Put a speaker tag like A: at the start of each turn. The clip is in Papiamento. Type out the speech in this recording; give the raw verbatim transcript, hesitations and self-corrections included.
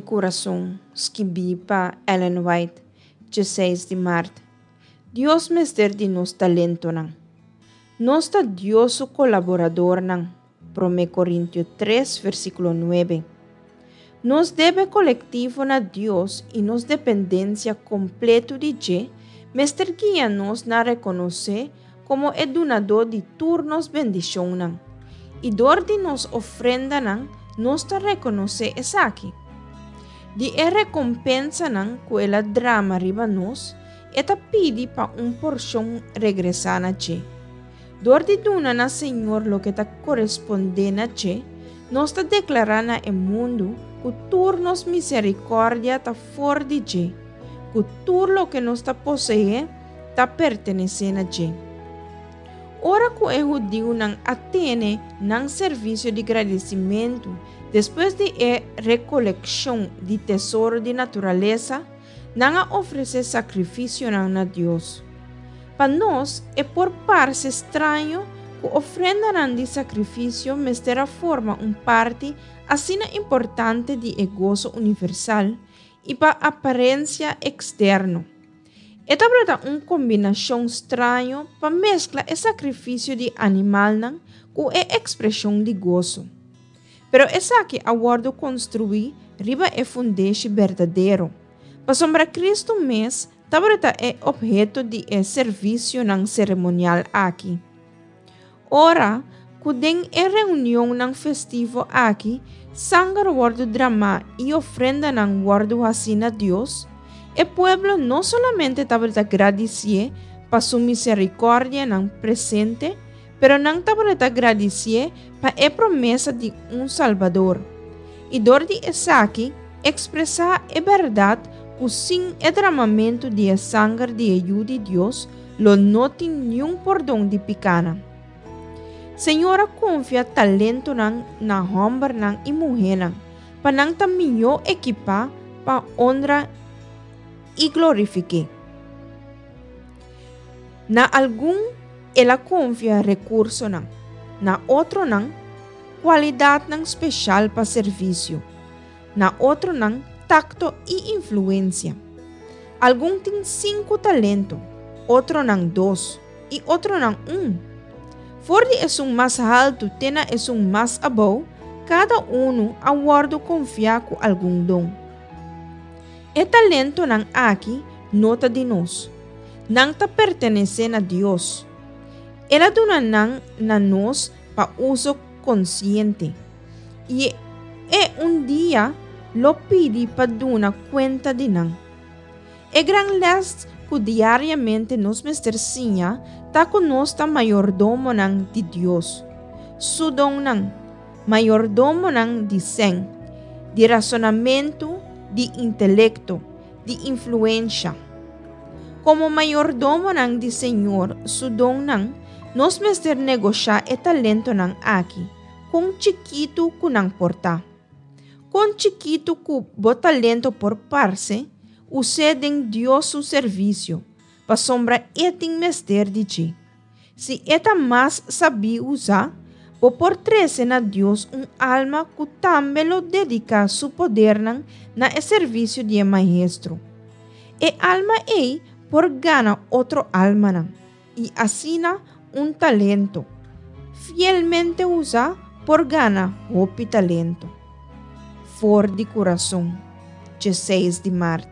A: Kurason, skibí pa Ellen White, diesseis di mart. Dios mester di nos talentonan. Nos ta Dios su kolaboradornan. Promé Korintio tres, versíkulo nuebe. Nos debe kolektivo na Dios i nos dependensia kompleto di dje mester guia nos na rekonos'é komo e Dunadó di tur nos bendishonnan. I dor di nos ofrendanan nos ta rekonosé esaki. Di e rekompensanan ku el a drama riba nos, e ta pidi pa un porshon regresá na dje. Dor di duna na Señor loke ta korespondé na dje, nos ta deklará na e mundu ku tur nos miserikòrdia ta for di dje, ku tur loke nos ta poseé ta pertenesé na dje. Ora ku e hudiunan a tene nan servisio di gradisimentu despues di e rekolekshon di tesoro di naturalesa, nan a ofresé sakrifisionan na Dios. Pa nos e por parse straño ku ofrendanan di sakrifisio mester a forma un parti asina importante di e goso universal i pa aparensia eksterno. E tabata un kombinashon straño pa meskla e sakrifisio di animalnan ku e ekspreshon di goso. Pero esaki a wòrdu konstruí riba e fundeshi berdadero, pasobra Kristu mes tabata e opheto di e servisionan seremonial aki. Ora ku den e reunionnan festivo aki sanger wòrdu dramá i ofrendanan wòrdu hasí na Dios, e pueblo no solamente tabata gradisié pa su miserikòrdianan presente, pero nan tabata gradisié pa e promesa di un Salbador, i dor di esaki ekspresá e bèrdat ku sin e dramamentu di e sanger di e Yu di Dios lo no tin niun pordon di pikánan. Señor a konfia talentonan na hòmbernan i muhénan pa nan ta mihó ekipá pa honra i glorifik'é. Na algun el a konfia rekursonan, na otronan kualidatnan speshal pa servisio, na otronan takto i influensia. Algun tin sinku talento, otronan dos i otronan un. For di esun mas haltu te na esun mas abou, kada unu a wòrdu konfiá ku algun don. E talentonan aki no ta di nos. Nan ta pertenesé na Dios. El a duna nan na nos pa uso konsiente. I e un dia lo pidi pa duna kuenta di nan. E gran lès ku diariamente nos mester siña ta ku nos ta mayordomonan di Dios, Su donnan, mayordomonan di sèn, di rasonamentu, di intelekto, di influensha. Komo mayordomonan di Señor Su donnan, nos mester negoshá e talentonan aki, kon chikitu ku nan por ta. Kon chikitu ku bo talento por parse, us'é den Dios su servisio, pasobra E tin mester di dje. Si e ta mas sabí usá, bo por trese na Dios un alma ku tambe lo dediká su podernan na e servisio di e Maestro. E alma ei por gana otro almanan, i asina un talento fielmente usá por gana hopi talento. For di Kurason, diesseis di mart.